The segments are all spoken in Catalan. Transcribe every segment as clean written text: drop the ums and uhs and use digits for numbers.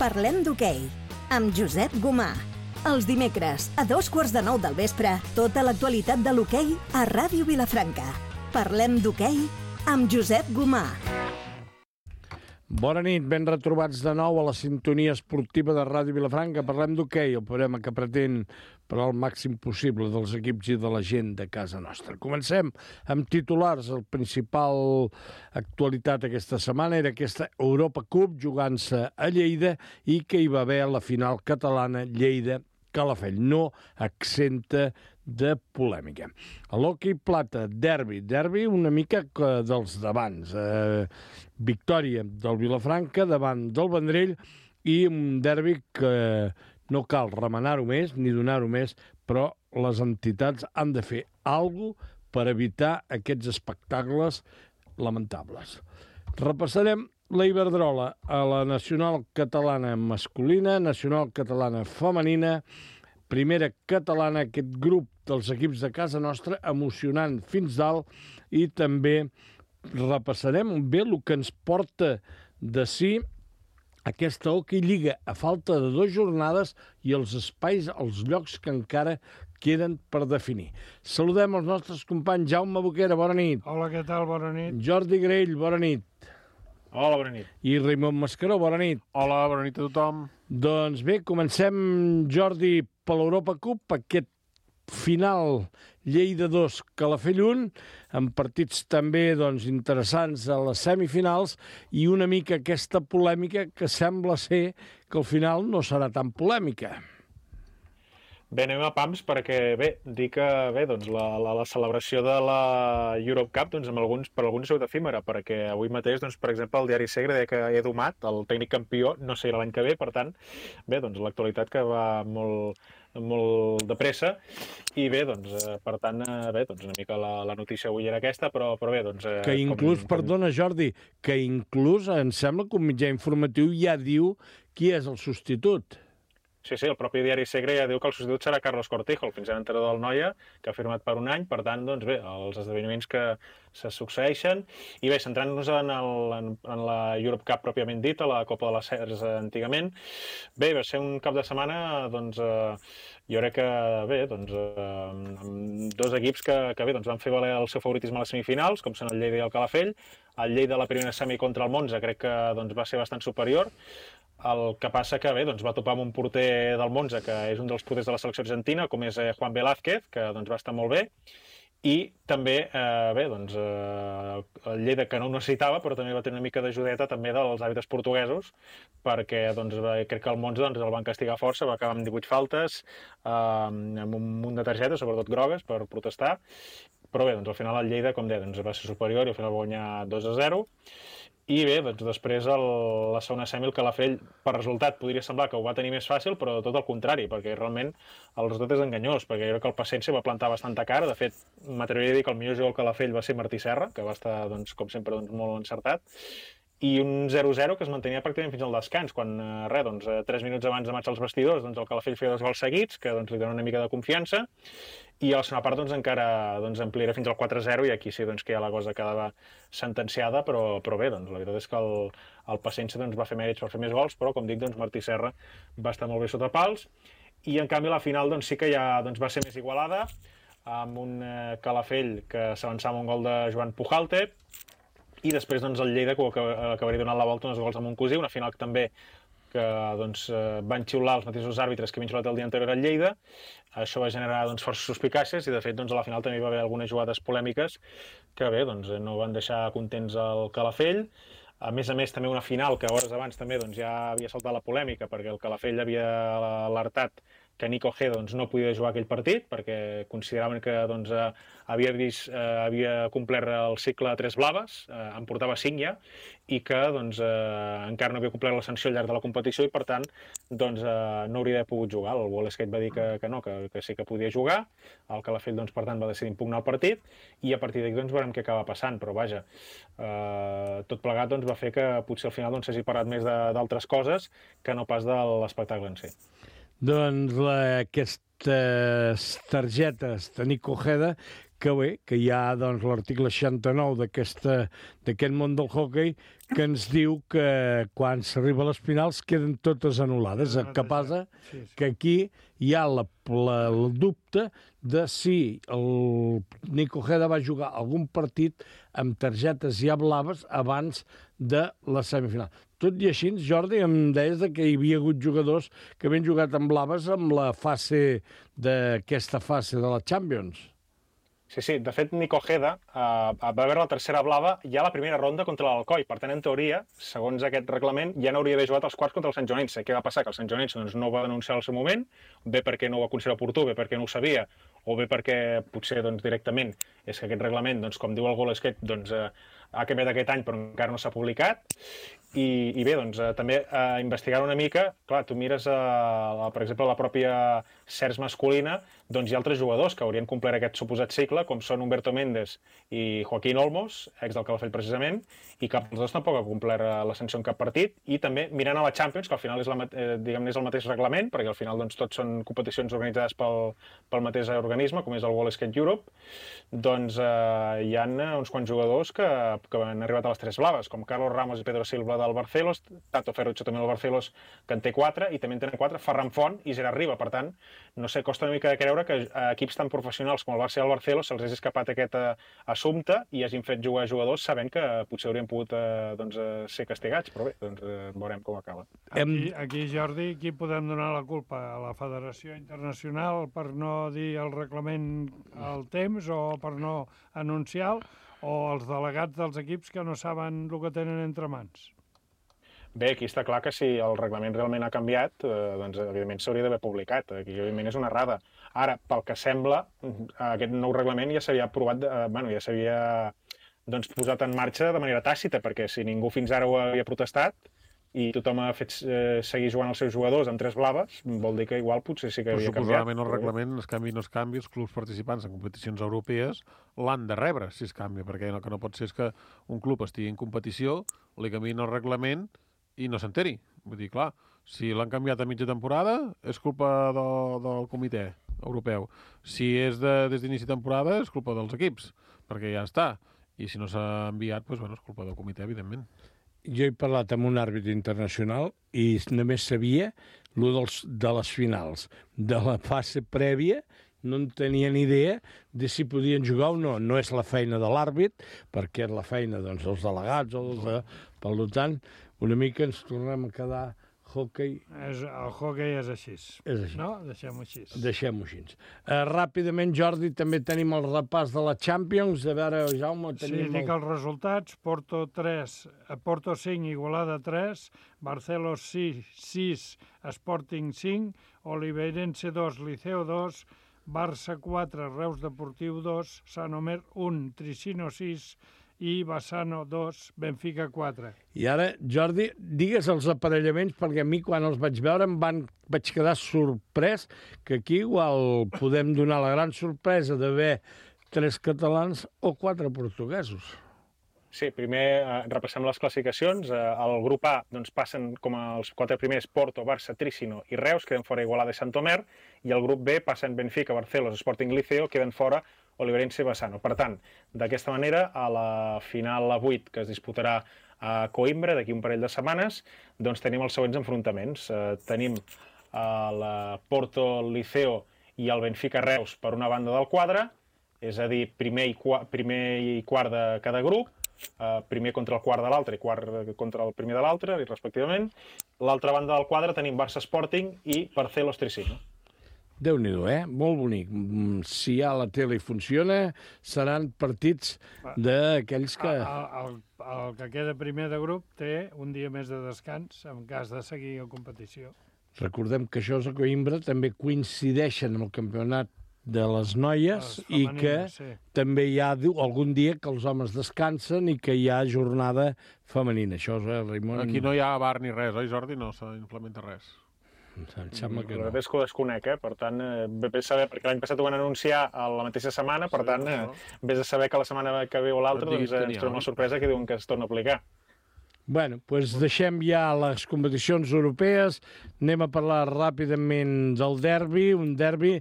Parlem d'hoquei, amb Josep Gomà. Els dimecres, a 8:45 del vespre, tota l'actualitat de l'hoquei a Ràdio Vilafranca. Parlem d'hoquei amb Josep Gomà. Bona nit, ben retrobats de nou a la sintonia esportiva de Ràdio Vilafranca. Parlem d'hoquei, el programa que pretén per al màxim possible dels equips i de la gent de casa nostra. Comencem amb titulars. El principal actualitat aquesta setmana era aquesta Europa Cup jugant-se a Lleida i que hi va haver la final catalana Lleida-Calafell, no exenta de polèmica. A l'hoquei plata, derbi una mica dels d'abans. Victòria del Vilafranca davant del Vendrell i un derbi que no cal remenar-ho més ni donar-ho més, però les entitats han de fer alguna cosa per evitar aquests espectacles lamentables. Repassarem la Iberdrola a la Nacional Catalana masculina, Nacional Catalana femenina, Primera Catalana, aquest grup dels equips de casa nostra, emocionant fins dalt, i també repassarem bé el que ens porta de si aquesta Hockey Lliga a falta de 2 jornades i els espais, els llocs que encara queden per definir. Saludem els nostres companys. Jaume Boquera, bona nit. Hola, què tal? Bona nit. Jordi Grell, bona nit. Hola, bona nit. I Raimon Mascaró, bona nit. Hola, bona nit a tothom. Doncs bé, comencem, Jordi, per l'Europa Cup, aquest final Lleida 2, Calafell 1, amb partits també interessants a les semifinals i una mica aquesta polèmica que sembla ser que al final no serà tan polèmica. Bé, anem a pams perquè, dir que la celebració de la Europe Cup per alguns ha sigut efímera, perquè avui mateix, per exemple, el diari Segre deia que Edu Mat, el tècnic campió, no serà l'any que ve, per tant, l'actualitat que va molt de pressa, i per tant, una mica la notícia avui era aquesta, però bé, Que inclús, perdona Jordi, que inclús em sembla que un mitjà informatiu ja diu qui és el substitut. Sí, el propi diari Segre ja diu que el substitut serà Carlos Cortijo, el fins ara entrenador del Noia, que ha firmat per un any, per tant, els esdeveniments que se succeeixen. I bé, centrant-nos en la Europe Cup pròpiament dit, a la Copa de les Cers antigament, bé, va ser un cap de setmana, jo crec que amb dos equips que van fer valer el seu favoritisme a les semifinals, com són el Lleida i el Calafell. El Lleida a la primera semi contra el Monza crec que va ser bastant superior. El que passa que va topar amb un porter del Monza, que és un dels porters de la selecció argentina, com és Juan Velázquez, que va estar molt bé, i també el Lleida, que no ho necessitava, però també va tenir una mica d'ajudeta també dels àrbitres portuguesos, perquè crec que el Monza el van castigar força, va acabar amb 18 faltes, amb un munt de targetes, sobretot grogues, per protestar, però bé, al final el Lleida, com deia, va ser superior i al final va guanyar 2-0. I bé, després la segona semi, el Calafell, per resultat, podria semblar que ho va tenir més fàcil, però tot el contrari, perquè realment el resultat és enganyós, perquè jo crec que el Passense va plantar bastanta cara. De fet, m'atreviria a dir que el millor jugador del Calafell va ser Martí Serra, que va estar, com sempre, molt encertat, i un 0-0 que es mantenia pràcticament fins al descans, quan 3 minuts abans de marxar als vestidors, el Calafell feia 2 gols seguits, que li dona una mica de confiança, i a la segona part encara ampliarà fins al 4-0, i aquí sí que ja la cosa quedava sentenciada, però bé, la veritat és que el Passense va fer mèrits per fer més gols, però com dic, Martí Serra va estar molt bé sota pals, i en canvi la final sí que ja va ser més igualada, amb un Calafell que s'avançava amb un gol de Joan Pujalte, i després el Lleida, que acabaria donant la volta 2 gols a Montcosí, una final també que van xiular els mateixos àrbitres que havien xiulat el dia anterior al Lleida. Això va generar forces suspicàcies i de fet a la final també hi va haver algunes jugades polèmiques que bé, no van deixar contents el Calafell. A més, també una final que hores abans també ja havia saltat la polèmica perquè el Calafell havia alertat que Nico G no podia jugar aquell partit perquè consideraven que havia complert el cicle de 3 blaves, en portava 5 ja, i que encara no havia complert la sanció al llarg de la competició i per tant no hauria d'haver pogut jugar. El Wall Skate va dir que no, que sí que podia jugar. El Calafell per tant va decidir impugnar el partit i a partir d'aquí veurem què acaba passant, però vaja, tot plegat va fer que potser al final s'hagi parlat més d'altres coses que no pas de l'espectacle en si. Doncs aquestes targetes de Nico Ojeda que bé, que hi ha doncs, l'article 69 d'aquest món del hoquei que ens diu que quan s'arriba a les finals queden totes anul·lades. El que passa que aquí hi ha el dubte de si el Nico Ojeda va jugar algun partit amb targetes ja blaves abans de la semifinal. Tot i així, Jordi, em deies que hi havia hagut jugadors que havien jugat amb blaves amb la fase d'aquesta fase de la Champions. Sí. De fet, Nico Ojeda va veure la tercera blava ja a la primera ronda contra l'Alcoi. Per tant, en teoria, segons aquest reglament, ja no hauria d'haver jugat els quarts contra el Sant Joanense. Què va passar? Que el Sant Joanense no ho va denunciar al seu moment, bé perquè no ho va considerar oportú, bé perquè no ho sabia, o bé perquè potser directament és que aquest reglament, com diu el GoalScape, ha canviat aquest any però encara no s'ha publicat. I bé, també investigar una mica, clar, tu mires, per exemple, la pròpia CERS masculina, hi ha altres jugadors que haurien complert aquest suposat cicle, com són Humberto Méndez i Joaquín Olmos, ex del Calafell precisament, i cap dels dos tampoc ha complert la sanció en cap partit, i també mirant a la Champions, que al final és el mateix reglament, perquè al final tots són competicions organitzades pel mateix organisme, com és el WorldSkate Europe, hi ha uns quants jugadors que han arribat a les tres blaves, com Carlos Ramos i Pedro Silva del Barcelos, Tato Ferruccio també del Barcelos, que en té 4, i també en tenen 4 Ferran Font i Gerard Riba. Per tant, no sé, costa una mica de creure que equips tan professionals com el Barça i el Barcelos se'ls hagi escapat aquest assumpte i hagin fet jugar jugadors sabent que potser haurien pogut ser castigats, però bé, veurem com acaba. Aquí, Jordi, qui podem donar la culpa? A la Federació Internacional per no dir el reglament al temps o per no anunciar, o els delegats dels equips que no saben el que tenen entre mans? Bé, aquí està clar que si el reglament realment ha canviat, evidentment s'hauria d'haver publicat. Aquí, evidentment, és una errada. Ara, pel que sembla, aquest nou reglament ja s'havia aprovat, ja s'havia posat en marxa de manera tàcita, perquè si ningú fins ara ho havia protestat i tothom ha fet seguir jugant els seus jugadors amb tres blaves, vol dir que igual potser sí que havia canviat. Suposadament el reglament, es canvi o no es canvi, els clubs participants en competicions europees l'han de rebre si es canvia, perquè el que no pot ser és que un club estigui en competició, li canviïn el reglament i no s'enteri. Vull dir, clar, si l'han canviat a mitja temporada és culpa del comitè europeu. Si és des d'inici de temporada és culpa dels equips, perquè ja està. I si no s'ha enviat, doncs, és culpa del comitè, evidentment. Jo he parlat amb un àrbitre internacional i només sabia de les finals. De la fase prèvia no en tenia ni idea de si podien jugar o no. No és la feina de l'àrbit, perquè és la feina dels delegats o per tant, una mica ens tornem a quedar hockey. El hockey és així. És així. No? Deixem-ho així. Deixem-ho així. Ràpidament, Jordi, també tenim el repàs de la Champions. A veure, Jaume, tenim... Sí, dic els resultats. Porto 5, Igualada 3, Barcelos 6, Sporting 5, Oliveirense 2, Liceo 2, Barça 4, Reus Deportiu 2, Sant Omer 1, Tricino 6, i Bassano 2, Benfica 4. I ara, Jordi, digues els aparellaments, perquè a mi quan els vaig veure vaig quedar sorprès que aquí igual podem donar la gran sorpresa d'haver 3 catalans o 4 portuguesos. Sí, primer repassem les classificacions. El grup A passen com els 4 primers Porto, Barça, Tricino i Reus, queden fora Igualada i Sant Omer, i el grup B passen Benfica, Barcelos, Sporting Liceo, queden fora Oliveirense i Bassano. Per tant, d'aquesta manera, a la final a 8, que es disputarà a Coimbra d'aquí un parell de setmanes, doncs tenim els següents enfrontaments. Tenim el Porto Liceo i el Benfica Reus per una banda del quadre, és a dir, primer i quart de cada grup, primer contra el quart de l'altre i quart contra el primer de l'altre, respectivament. L'altra banda del quadre tenim Barça Sporting i Barcelos Tricino. Déu-n'hi-do, Molt bonic. Si ja la tele funciona, seran partits d'aquells que... El que queda primer de grup té un dia més de descans en cas de seguir a competició. Recordem que això a Coimbra també coincideixen amb el campionat de les noies i que també hi ha algun dia que els homes descansen i que hi ha jornada femenina. Això és, Raimon... Aquí no hi ha bar ni res, oi, Jordi? No s'implementa res. Em sembla que no. La que ho desconec, per tant, bé saber, perquè l'any passat ho van anunciar a la mateixa setmana, per tant, vés a saber que la setmana que ve o l'altra ens trobem la sorpresa que diuen que es torna a aplicar. Bueno, doncs deixem ja les competicions europees, anem a parlar ràpidament del derbi, un derbi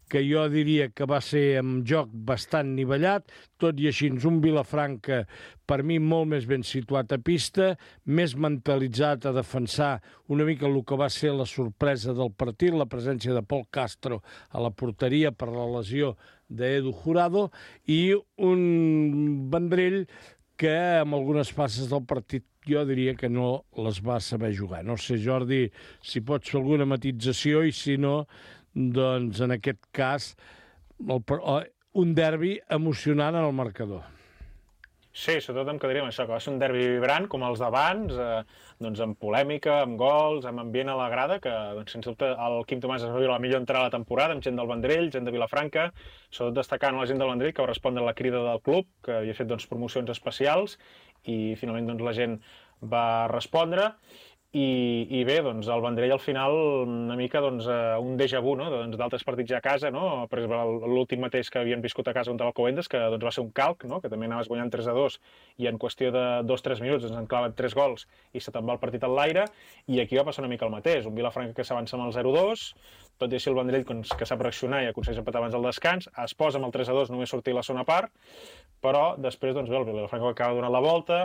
que jo diria que va ser amb joc bastant nivellat, tot i així un Vilafranca per mi molt més ben situat a pista, més mentalitzat a defensar una mica el que va ser la sorpresa del partit, la presència de Pol Castro a la porteria per la lesió d'Edu Jurado, i un Vendrell que amb algunes passes del partit jo diria que no les va saber jugar. No sé, Jordi, si pots fer alguna matització i si no, doncs en aquest cas un derbi emocionant en el marcador. Sí, sobretot em quedaria amb això, que va ser un derbi vibrant com els d'abans, doncs amb polèmica, amb gols, amb ambient a la grada, que doncs, sens dubte el Quim Tomàs es va viure la millor entrada de la temporada, amb gent del Vendrell, gent de Vilafranca, sobretot destacant la gent del Vendrell que va respondre a la crida del club, que havia fet doncs, promocions especials, i finalment doncs, la gent va respondre. I bé, doncs, el Vendrell al final una mica doncs, un déjà vu, no? D'altres partits ja a casa, no? Per exemple, l'últim mateix que havien viscut a casa contra l'Alcobendas, que doncs, va ser un calc, no? Que també anaves guanyant 3-2 i en qüestió de 2-3 minuts ens han clavat 3 gols i se te'n va el partit al l'aire, i aquí va passar una mica el mateix, un Vilafranca que s'avança amb el 0-2, tot i així el Vendrell que sap reaccionar i aconsegueix empatar abans del descans, es posa amb el 3-2 només sortir la segona part, però després doncs, bé, el Vilafranca acaba donant la volta.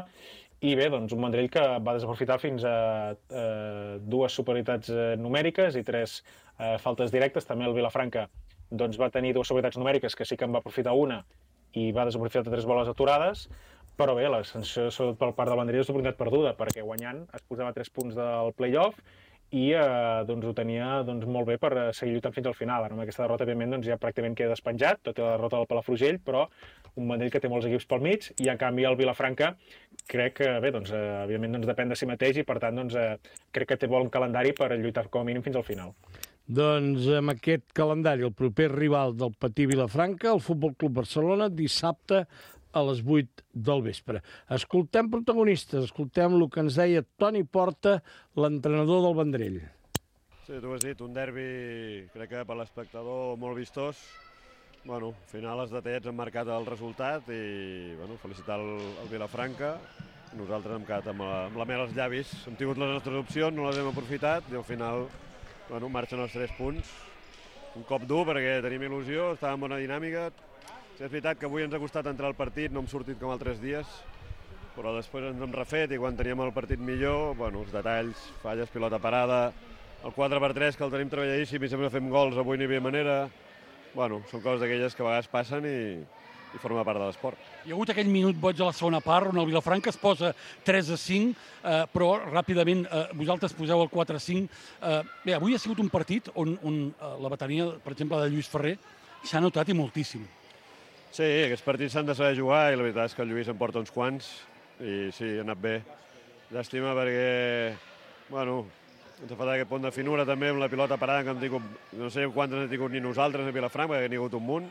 I bé, doncs un Vendrell que va desaprofitar fins a 2 superioritats numèriques i 3 faltes directes. També el Vilafranca doncs, va tenir 2 superioritats numèriques, que sí que en va aprofitar una i va desaprofitar 3 boles aturades, però bé, la sensació sobretot per part del Vendrell és d'oportunitat perduda, perquè guanyant es posava 3 punts del play-off i doncs, ho tenia doncs, molt bé per seguir lluitant fins al final. Ara amb aquesta derrota, òbviament, doncs, ja pràcticament queda despenjat, tot i la derrota del Palafrugell, però un Vendrell que té molts equips pel mig, i en canvi el Vilafranca crec que, bé, doncs, evidentment doncs, depèn de si mateix i per tant doncs, crec que té bon calendari per lluitar com a mínim fins al final. Doncs amb aquest calendari, el proper rival del Patí Vilafranca, el Futbol Club Barcelona, dissabte a les 8 del vespre. Escoltem protagonistes, escoltem el que ens deia Toni Porta, l'entrenador del Vendrell. Sí, tu has dit, un derbi, crec que per l'espectador molt vistós. Bueno, al final els detallets han marcat el resultat i bueno, felicitar el Vilafranca. Nosaltres hem quedat amb la mel als llavis. Hem tingut les nostres opcions, no les hem aprofitat i al final bueno, marxen els 3 punts. Un cop dur perquè tenim il·lusió, estàvem en bona dinàmica. Sí, és veritat que avui ens ha costat entrar al partit, no hem sortit com altres dies, però després ens hem refet i quan teníem el partit millor, bueno, els detalls, falles, pilota parada, el 4x3 que el tenim treballadíssim i sempre fem gols, avui no hi havia manera. Bueno, són coses d'aquelles que a vegades passen i forma part de l'esport. Hi ha hagut aquell minut boig a la segona part on el Vilafranca es posa 3-5, però ràpidament vosaltres poseu el 4-5. Bé, avui ha sigut un partit on la bateria, per exemple, de Lluís Ferrer s'ha notat i moltíssim. Sí, aquests partits s'han de saber jugar i la veritat és que el Lluís en porta uns quants i sí, ha anat bé. Llàstima perquè, bueno, ens ha faltat aquest punt de finura també amb la pilota parada que hem tingut, no sé quantes hem tingut ni nosaltres a Vilafranca, perquè n'hi ha hagut un munt.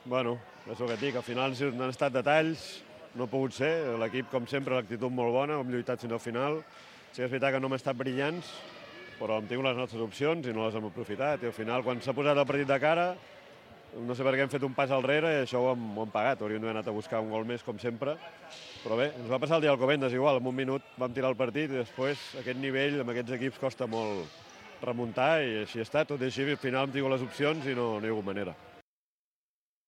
Bueno, és el que et dic, al final han estat detalls, no ha pogut ser, l'equip com sempre, l'actitud molt bona, hem lluitat fins al final. Sí que és veritat que no hem estat brillants, però hem tingut les nostres opcions i no les hem aprofitat. I al final, quan s'ha posat el partit de cara, no sé per què hem fet un pas al rere i això ho hem pagat. Hauríem d'haver anat a buscar un gol més, com sempre. Però bé, ens va passar el dia d'Alcobendas igual. En un minut vam tirar el partit i després aquest nivell amb aquests equips costa molt remuntar i així ha estat. Tot i així, al final hem tingut les opcions i no hi ha hagut manera.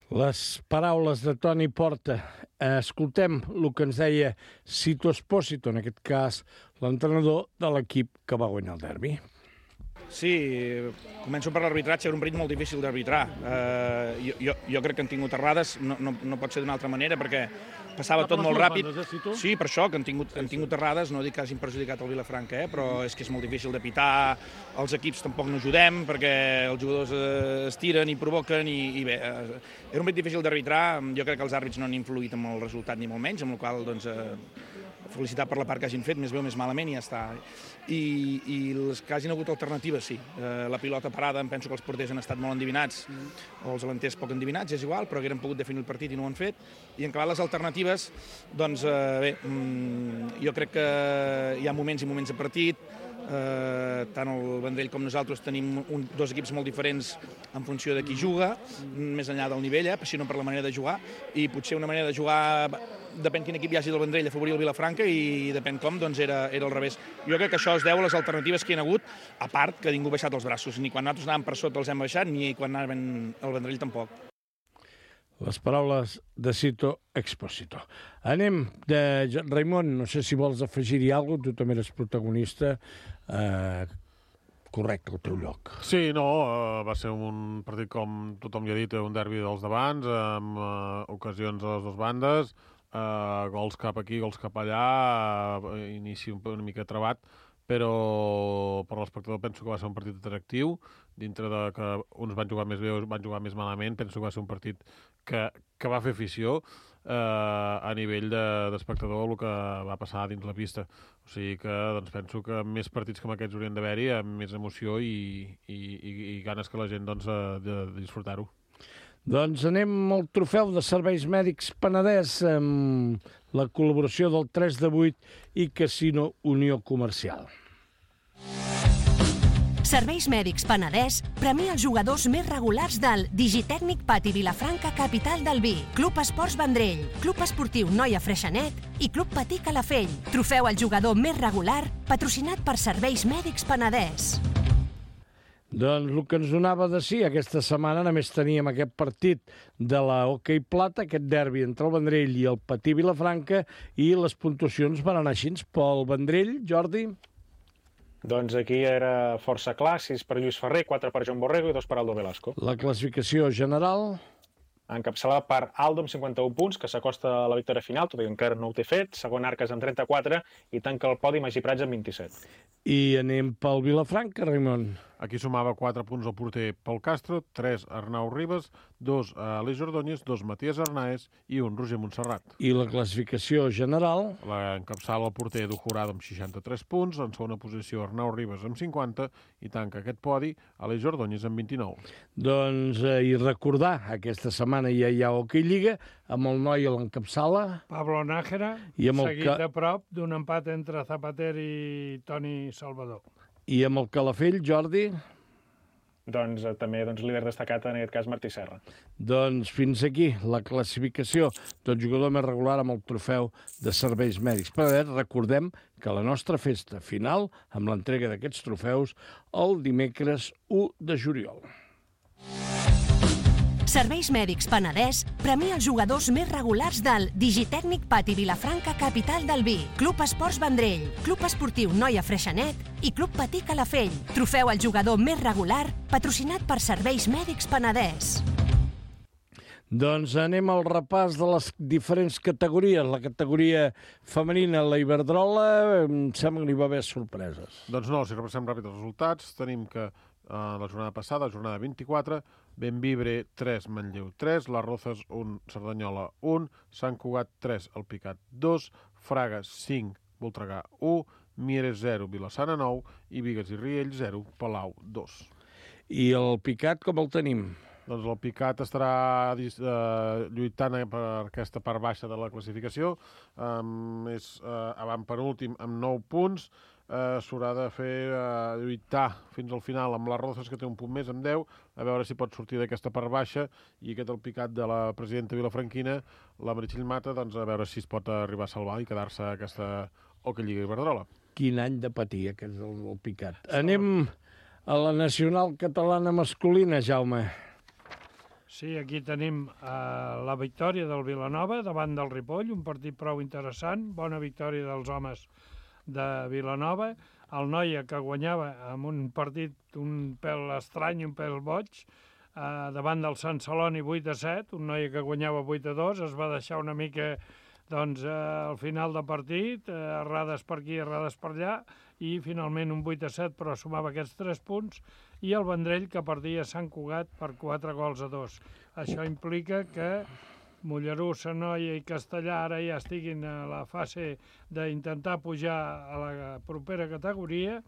Les paraules de Toni Porta. Escoltem el que ens deia Sito Espósito, en aquest cas l'entrenador de l'equip que va guanyar el derbi. Sí, començo per l'arbitratge, era un partit molt difícil d'arbitrar. Jo crec que han tingut errades, no pot ser d'una altra manera, perquè passava tot molt ràpid. Sí, per això, que han tingut errades, no dic que hagin perjudicat el Vilafranca, però és que és molt difícil de pitar, els equips tampoc no ajudem, perquè els jugadors es tiren i provoquen, i bé, era un partit difícil d'arbitrar, jo crec que els àrbits no han influït amb el resultat ni molt menys, amb la qual cosa, felicitar per la part que hagin fet, més bé o més malament, i ja està. I les que hagin hagut alternatives, sí. La pilota parada, em penso que els porters han estat molt endivinats, o els delanters poc endivinats, és igual, però hagueren pogut definir el partit i no ho han fet. I en acabat les alternatives, doncs bé, jo crec que hi ha moments i moments de partit, tant el Vendrell com nosaltres tenim dos equips molt diferents en funció de qui juga, més enllà del nivell, sinó per la manera de jugar, i potser una manera de jugar depèn quin equip hi hagi del Vendrell, afavorir el Vilafranca, i depèn com, doncs era al revés. Jo crec que això es deu a les alternatives que hi ha hagut, a part que ningú ha baixat els braços, ni quan nosaltres anàvem per sota els hem baixat, ni quan anaven al Vendrell tampoc. Les paraules de Cito Expósito. Anem de Raimon, no sé si vols afegir-hi alguna cosa, tu també eres protagonista. Correcte, el teu lloc. Sí, no, va ser un partit, com tothom ja ha dit, un derbi dels davants, amb ocasions a les dues bandes, gols cap aquí, gols cap allà, inici una mica trabat, però per l'espectador penso que va ser un partit atractiu, dintre de que uns van jugar més bé o van jugar més malament, penso que va ser un partit que va fer afició a nivell d'espectador el que va passar dins la pista. O sigui que doncs, penso que més partits com aquests haurien d'haver-hi, amb més emoció i ganes que la gent doncs, de disfrutar-ho. Doncs anem al trofeu de serveis mèdics Penedès amb la col·laboració del 3 de 8 i Casino Unió Comercial. Serveis Mèdics Penedès premia els jugadors més regulars del Digitècnic Pati Vilafranca, capital del vi, Club Esports Vendrell, Club Esportiu Noia Freixenet i Club Patí Calafell. Trofeu al jugador més regular, patrocinat per Serveis Mèdics Penedès. Doncs el que ens donava de sí aquesta setmana, només teníem aquest partit de la Hockey Plata, aquest derbi entre el Vendrell i el Patí Vilafranca, i les puntuacions van anar així. Pel Vendrell, Jordi? Doncs aquí era força clar, 6 per Lluís Ferrer, 4 per Joan Borrego i 2 per Aldo Velasco. La classificació general? Encapçalada per Aldo amb 51 punts, que s'acosta a la victòria final, tot i que encara no ho té fet. Segon Arques amb 34 i tanca el podi Magí Prats amb 27. I anem pel Vilafranca, Raimon. Aquí sumava 4 punts el porter Pol Castro, 3 Arnau Ribas, 2 Aleix Ordóñez, 2 Matías Arnaez i 1 Roger Montserrat. I la classificació general? L'encapçala el porter Edu Jurado amb 63 punts, en segona posició Arnau Ribas amb 50 i tanca aquest podi Aleix Ordóñez amb 29. Doncs, i recordar, aquesta setmana ja hi ha Hockey Lliga, amb el noi a l'encapçala. Pablo Nájera, seguit de prop d'un empat entre Zapater i Toni Salvador. I amb el Calafell, Jordi? Doncs també líder destacat, en aquest cas, Martí Serra. Doncs fins aquí la classificació del jugador més regular amb el trofeu de serveis mèdics. Però recordem que la nostra festa final, amb l'entrega d'aquests trofeus, el dimecres 1 de juliol. Serveis Mèdics Penedès premia els jugadors més regulars del Digitècnic Pati Vilafranca, capital del vi, Club Esports Vendrell, Club Esportiu Noia Freixenet i Club Patí Calafell. Trofeu al jugador més regular, patrocinat per Serveis Mèdics Penedès. Doncs anem al repàs de les diferents categories. La categoria femenina, la Iberdrola, em sembla que hi va haver sorpreses. Doncs no, si repassem ràpid els resultats, tenim que la jornada passada, jornada 24, Benvibre 3, Manlleu 3, Les Rozas 1, Cerdanyola 1, Sant Cugat 3, El Picat 2, Fraga 5, Voltregà 1, Mieres 0, Vilassana 9 i Bigues i Riells 0, Palau 2. I el Picat com el tenim? Doncs el Picat estarà lluitant per aquesta part baixa de la classificació, és avant penúltim amb 9 punts, s'haurà de fer lluitar fins al final amb les Rozas, que té un punt més, amb 10, a veure si pot sortir d'aquesta part baixa, i aquest el Picat de la presidenta vilafranquina, la Meritxell Mata, doncs a veure si es pot arribar a salvar i quedar-se a aquesta Hockey Lliga Iberdrola. Quin any de patir, aquest el Picat. Anem a la nacional catalana masculina, Jaume. Sí, aquí tenim la victòria del Vilanova davant del Ripoll, un partit prou interessant, bona victòria dels homes de Vilanova. El Noia, que guanyava amb un partit un pèl estrany, un pèl boig, davant del Sant Celoni 8-7, un Noia que guanyava 8-2, es va deixar una mica al final del partit, errades per aquí, errades per allà, i finalment un 8-7, però sumava aquests 3 punts, i el Vendrell, que perdia Sant Cugat per 4-2. Això implica que Mollerussa, Noia i Castellà ara ja estiguin a la fase d'intentar pujar a la propera categoria,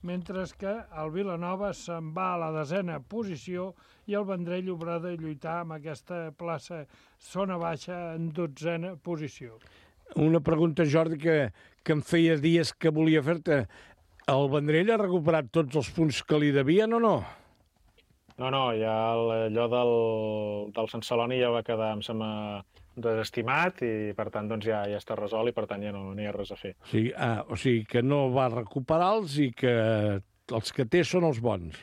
mentre que el Vilanova se'n va a la 10a posició i el Vendrell haurà de lluitar amb aquesta plaça zona baixa en 12a posició. Una pregunta, Jordi, que em feia dies que volia fer-te. El Vendrell ha recuperat tots els punts que li devien o no? No, ja allò del Sant Celoni ja va quedar, em sembla, desestimat i, per tant, doncs ja està resolt i, per tant, ja no hi ha res a fer. O sigui que no va recuperar-los i que els que té són els bons.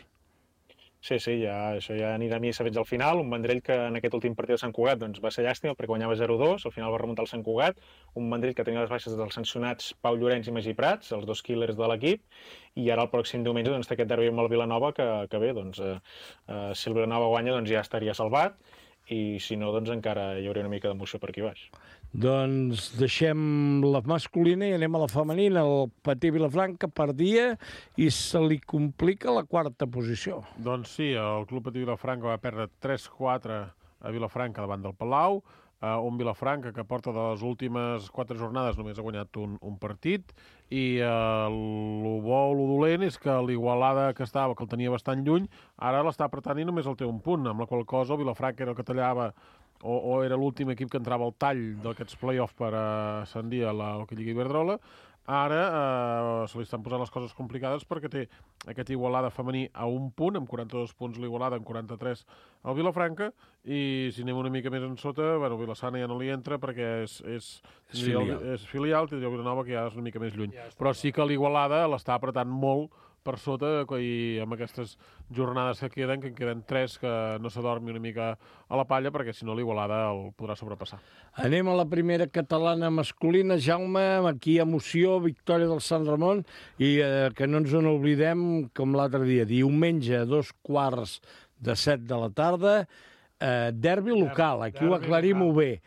Sí, això ja anirà a missa fins al final. Un Vendrell que en aquest últim partit de Sant Cugat doncs, va ser llàstima perquè guanyava 0-2, al final va remuntar el Sant Cugat, un Vendrell que tenia les baixes dels sancionats Pau Llorenç i Magí Prats, els dos killers de l'equip, i ara el pròxim diumenge doncs, té aquest derbi amb el Vilanova que bé, doncs, si el Vilanova guanya doncs, ja estaria salvat, i si no, doncs encara hi hauria una mica d'emoció per aquí baix. Doncs deixem la masculina i anem a la femenina. El Patí Vilafranca perdia i se li complica la quarta posició. Doncs sí, el Club Patí Vilafranca va perdre 3-4 a Vilafranca davant del Palau, un Vilafranca que porta de les últimes 4 jornades només ha guanyat un partit, i el bo o el dolent és que l'Igualada que el tenia bastant lluny, ara l'està apretant i només el té un punt, amb la qual cosa el Vilafranca era el que tallava o era l'últim equip que entrava al tall d'aquests play-off per ascendir a l'Hockey Lliga Iberdrola. Ara se li estan posant les coses complicades perquè té aquest Igualada femení a un punt, amb 42 punts l'Igualada, amb 43 el Vilafranca, i si anem una mica més en sota, bueno, Vilassana ja no li entra perquè és filial, tindria Vilanova que ja és una mica més lluny. Però sí que l'Igualada l'està apretant molt per sota, i amb aquestes jornades que en queden 3, que no s'adormi una mica a la palla, perquè si no l'Igualada el podrà sobrepassar. Anem a la primera catalana masculina. Jaume, aquí emoció, victòria del Sant Ramon, i que no ens en oblidem, com l'altre dia, diumenge, 6:15 de la tarda, derbi local, aquí ho aclarim-ho bé.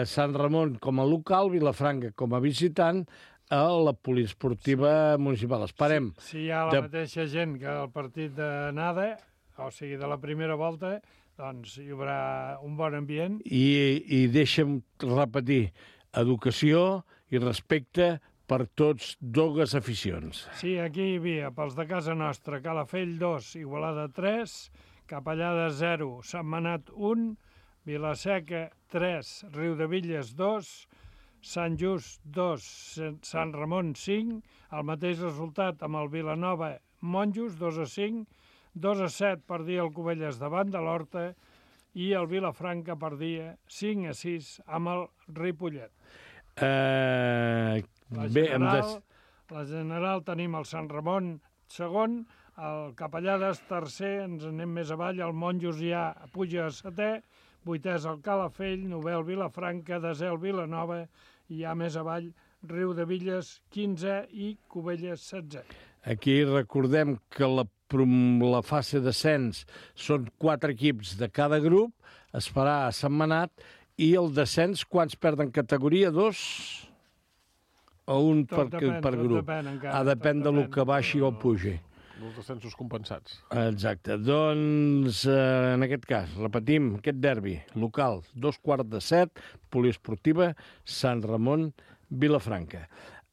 Sant Ramon com a local, Vilafranca com a visitant, a la poliesportiva municipal. Esperem. Si hi ha la mateixa gent que el partit d'anada, o sigui, de la primera volta, doncs hi haurà un bon ambient. I deixa'm repetir, educació i respecte per tots dues aficions. Sí, aquí hi havia, pels de casa nostra, Calafell 2, Igualada 3, Capellada 0, Sentmenat 1, Vilaseca 3, Riudebitlles 2, Sant Just 2, Sant Ramon 5, el mateix resultat amb el Vilanova Monjos, 2-5, 2-7 perdia el Cubelles davant de l'Horta i el Vilafranca perdia 5-6 amb el Ripollet. La general tenim el Sant Ramon segon, el Capellades tercer, ens anem més avall, el Monjos ja puja a setè, 8è és el Calafell, 9è el Vilafranca, 10è el Vilanova, i ja més avall Riudebitlles 15è i Cubelles 16è. Aquí recordem que la fase d'ascens són 4 equips de cada grup, es farà a Sentmenat, i el descens, quants perden categoria? 2 o un per grup? Depèn de lo que baixi o pugi. Els descensos compensats. Exacte. Doncs, en aquest cas, repetim, aquest derbi local, 6:15, poliesportiva, Sant Ramon, Vilafranca.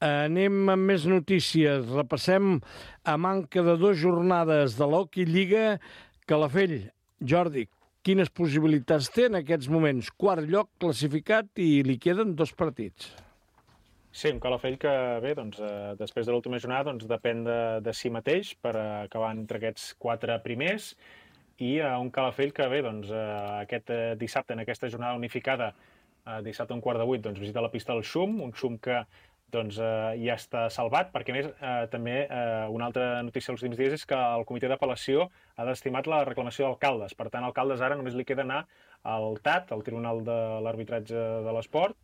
Anem amb més notícies. Repassem a manca de 2 jornades de l'Hockey Lliga. Calafell, Jordi, quines possibilitats té en aquests moments? 4 lloc classificat i li queden 2 partits. Sí, un Calafell que, bé, doncs, després de l'última jornada, doncs, depèn de si mateix per acabar entre aquests 4 primers, i un Calafell que, bé, doncs, aquest dissabte, en aquesta jornada unificada, dissabte a 7:15, doncs, visita la pista del Xum, un Xum que doncs, ja està salvat, perquè, a més, també una altra notícia dels últims dies és que el comitè d'apel·lació ha desestimat la reclamació d'Alcaldes. Per tant, Alcaldes ara només li queda anar al TAT, al Tribunal de l'Arbitratge de l'Esport,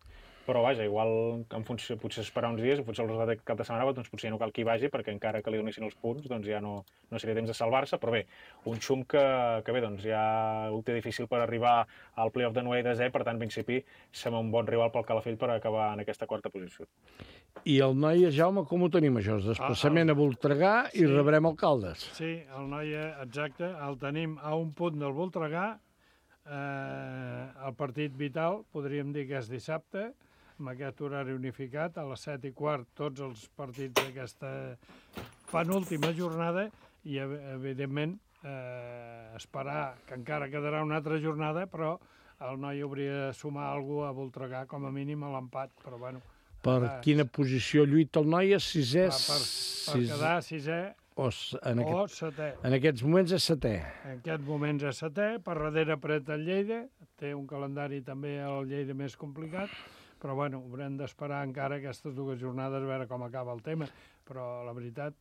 però vaja, igual en funció, potser esperar uns dies, potser el resultat d'aquest cap de setmana, doncs potser ja no cal que hi vagi, perquè encara que li donessin els punts, doncs ja no seria temps de salvar-se, però bé, un Xum que bé, doncs ja ho té difícil per arribar al play-off de 9 i 10è, per tant, en principi, sembla un bon rival pel Calafell per acabar en aquesta quarta posició. I el Noia, Jaume, com ho tenim, això? Desplaçament a Voltregà i rebrem Alcaldes. Sí, el Noia, exacte, el tenim a un punt del Voltregà, el partit vital, podríem dir que és dissabte, amb aquest horari unificat, a les 7:15, tots els partits d'aquesta penúltima jornada, i, evidentment, esperar que encara quedarà una altra jornada, però el Noi hauria de sumar alguna cosa a Voltregà, com a mínim a l'empat, però bueno. Per quina posició lluita el Noia? 6è? Per quedar 6è, setè. En aquests moments és setè. En aquests moments és setè, per darrere pret el Lleida, té un calendari també el Lleida més complicat, però bueno, haurem d'esperar encara aquestes 2 jornades a veure com acaba el tema, però la veritat,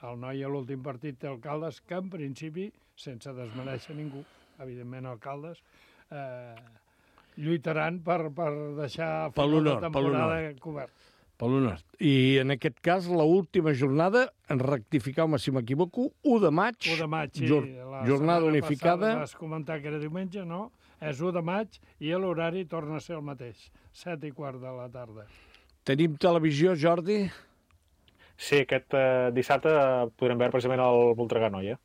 el noi a l'últim partit té el Caldes, que en principi, sense desmereixer ningú, evidentment el Caldes, lluitaran per deixar la temporada cobert. Per l'honor. I en aquest cas, l'última jornada, en rectifiqueu-me si m'equivoco, 1 de maig. 1 de maig, sí. Jornada unificada. Vas comentar que era diumenge, no? És 1 de maig i l'horari torna a ser el mateix, 7:15 de la tarda. Tenim televisió, Jordi? Sí, aquest dissabte podrem veure precisament el Voltregà-Noia.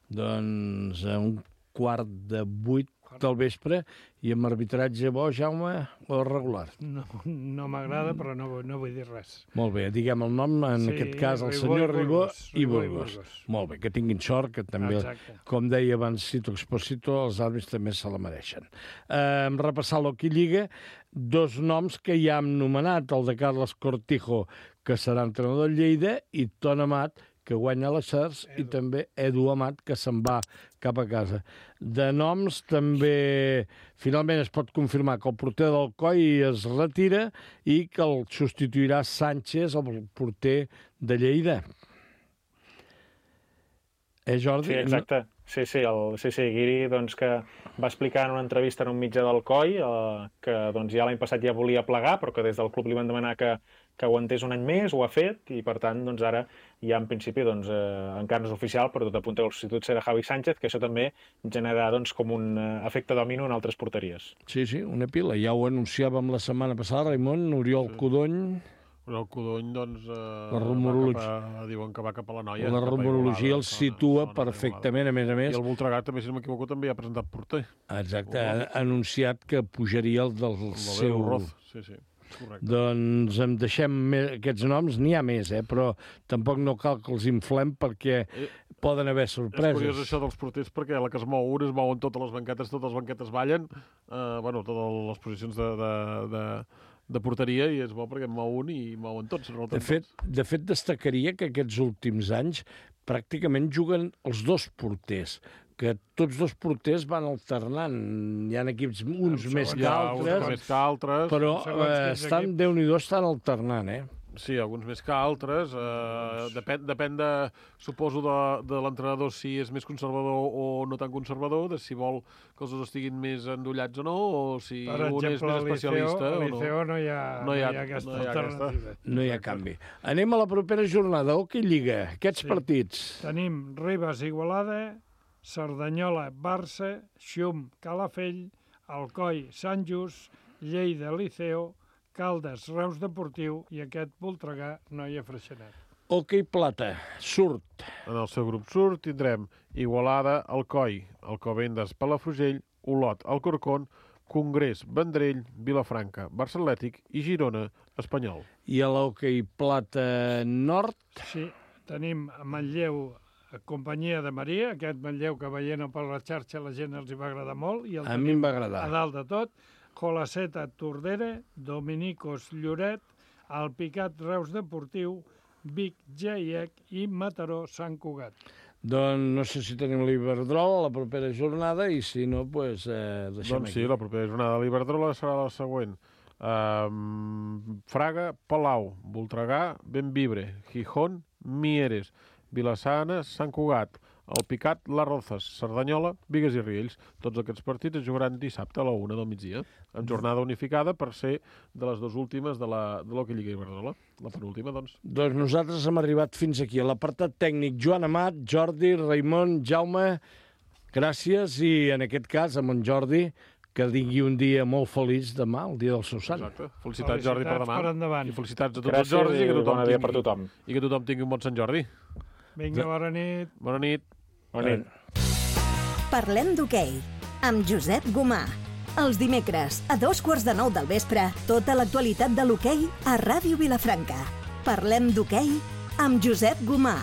Doncs a 7:15 del vespre, i amb arbitratge bo, Jaume, o regular? No m'agrada, però no vull dir res. Molt bé, diguem el nom, en aquest cas, el senyor Ribó i Burgos. Molt bé, que tinguin sort, que també, com deia abans Cito Exposito, els àrbits també se la mereixen. Repassar l'Hockey Lliga, 2 noms que ja hem nomenat, el de Carles Cortijo, que serà entrenador del Lleida, i Ton Amat, que guanya les Cercs, i també Edu Amat, que se'n va cap a casa. De noms també, finalment es pot confirmar que el porter del Coi es retira i que el substituirà Sánchez, el porter de Lleida. Jordi? Sí, exacte. Sí, Guiri, doncs, que va explicar en una entrevista en un mitjà del Coi que doncs, ja l'any passat ja volia plegar, però que des del club li van demanar que aguantés un any més, ho ha fet, i per tant doncs, ara ja en principi doncs, encara no és oficial, però tot apunta que el substitut serà Javi Sánchez, que això també generarà doncs, com un efecte domino en altres porteries. Sí, una pila. Ja ho anunciàvem la setmana passada, Raimon, Oriol Codony. El Codony, doncs, diuen que va cap a la Noia. La rumorologia el situa perfectament, a més. I el Voltregà, també, si no m'equivoco, també ha presentat porter. Exacte, ha anunciat que pujaria el del seu... Roz, sí. Correcte. Doncs em deixem aquests noms, n'hi ha més, però tampoc no cal que els inflem perquè poden haver sorpreses. És curiós això dels porters perquè a la que es mouen totes les banquetes ballen, totes les posicions de porteria, i és bo perquè en mou un i mouen tots. De fet, destacaria que aquests últims anys pràcticament juguen els 2 porters, que tots 2 porters van alternant. Hi ha equips uns més que altres, però estan, Déu-n'hi-do, estan alternant, Sí, alguns més que altres. Depèn suposo, de l'entrenador, si és més conservador o no tan conservador, de si vol que els dos estiguin més endollats o no, o si un és més especialista o no. Per exemple, no hi ha aquesta alternativa. No hi ha canvi. Anem a la propera jornada. Hockey Lliga, aquests partits. Tenim Ribes, Igualada, Cerdanyola, Barça, Xum, Calafell, Alcoi, Sant Just, Lleida, Liceo, Caldes, Reus Deportiu i aquest Voltregà, Noia Freixenet. Hockey Plata, surt. En el seu grup surt tindrem Igualada, Alcoi, Alcobendas, Palafrugell, Olot, Alcorcón, Congrés, Vendrell, Vilafranca, Barça Atlètic i Girona, Espanyol. I a l'Hockey Plata Nord? Sí, tenim Manlleu, Companyia de Maria, aquest Manlleu que veient per la xarxa la gent els hi va agradar molt. I a mi em va agradar. A dalt de tot, Colaceta, Tordera, Dominicos, Lloret, Alpicat, Reus Deportiu, Vic, Geiec i Mataró, Sant Cugat. Doncs no sé si tenim l'Iberdrola a la propera jornada i si no, doncs deixem aquí. Sí, la propera jornada de l'Iberdrola serà la següent. Fraga, Palau, Voltregà, Bembibre, Gijón, Mieres, Vilassana, Sant Cugat, Alpicat, Les Rozas, Cerdanyola, Bigues i Riells. Tots aquests partits es jugaran dissabte a la 1 del migdia, en jornada unificada per ser de les 2 últimes de l'Hockey Lliga Iberdrola. La penúltima, doncs. Doncs nosaltres hem arribat fins aquí. A l'apartat tècnic, Joan Amat, Jordi, Raimon, Jaume, gràcies, i en aquest cas, amb en Jordi, que tingui un dia molt feliç demà, el dia del seu sant. Exacte. Felicitats, Jordi, per demà. Per endavant. I felicitats a tots els Jordis i que tothom tingui un bon Sant Jordi. Vinga, bona nit. Bona nit. Bona nit. Parlem d'hoquei, amb Josep Gomà. Els dimecres, a 8:15 del vespre, tota l'actualitat de l'hoquei a Ràdio Vilafranca. Parlem d'hoquei amb Josep Gomà.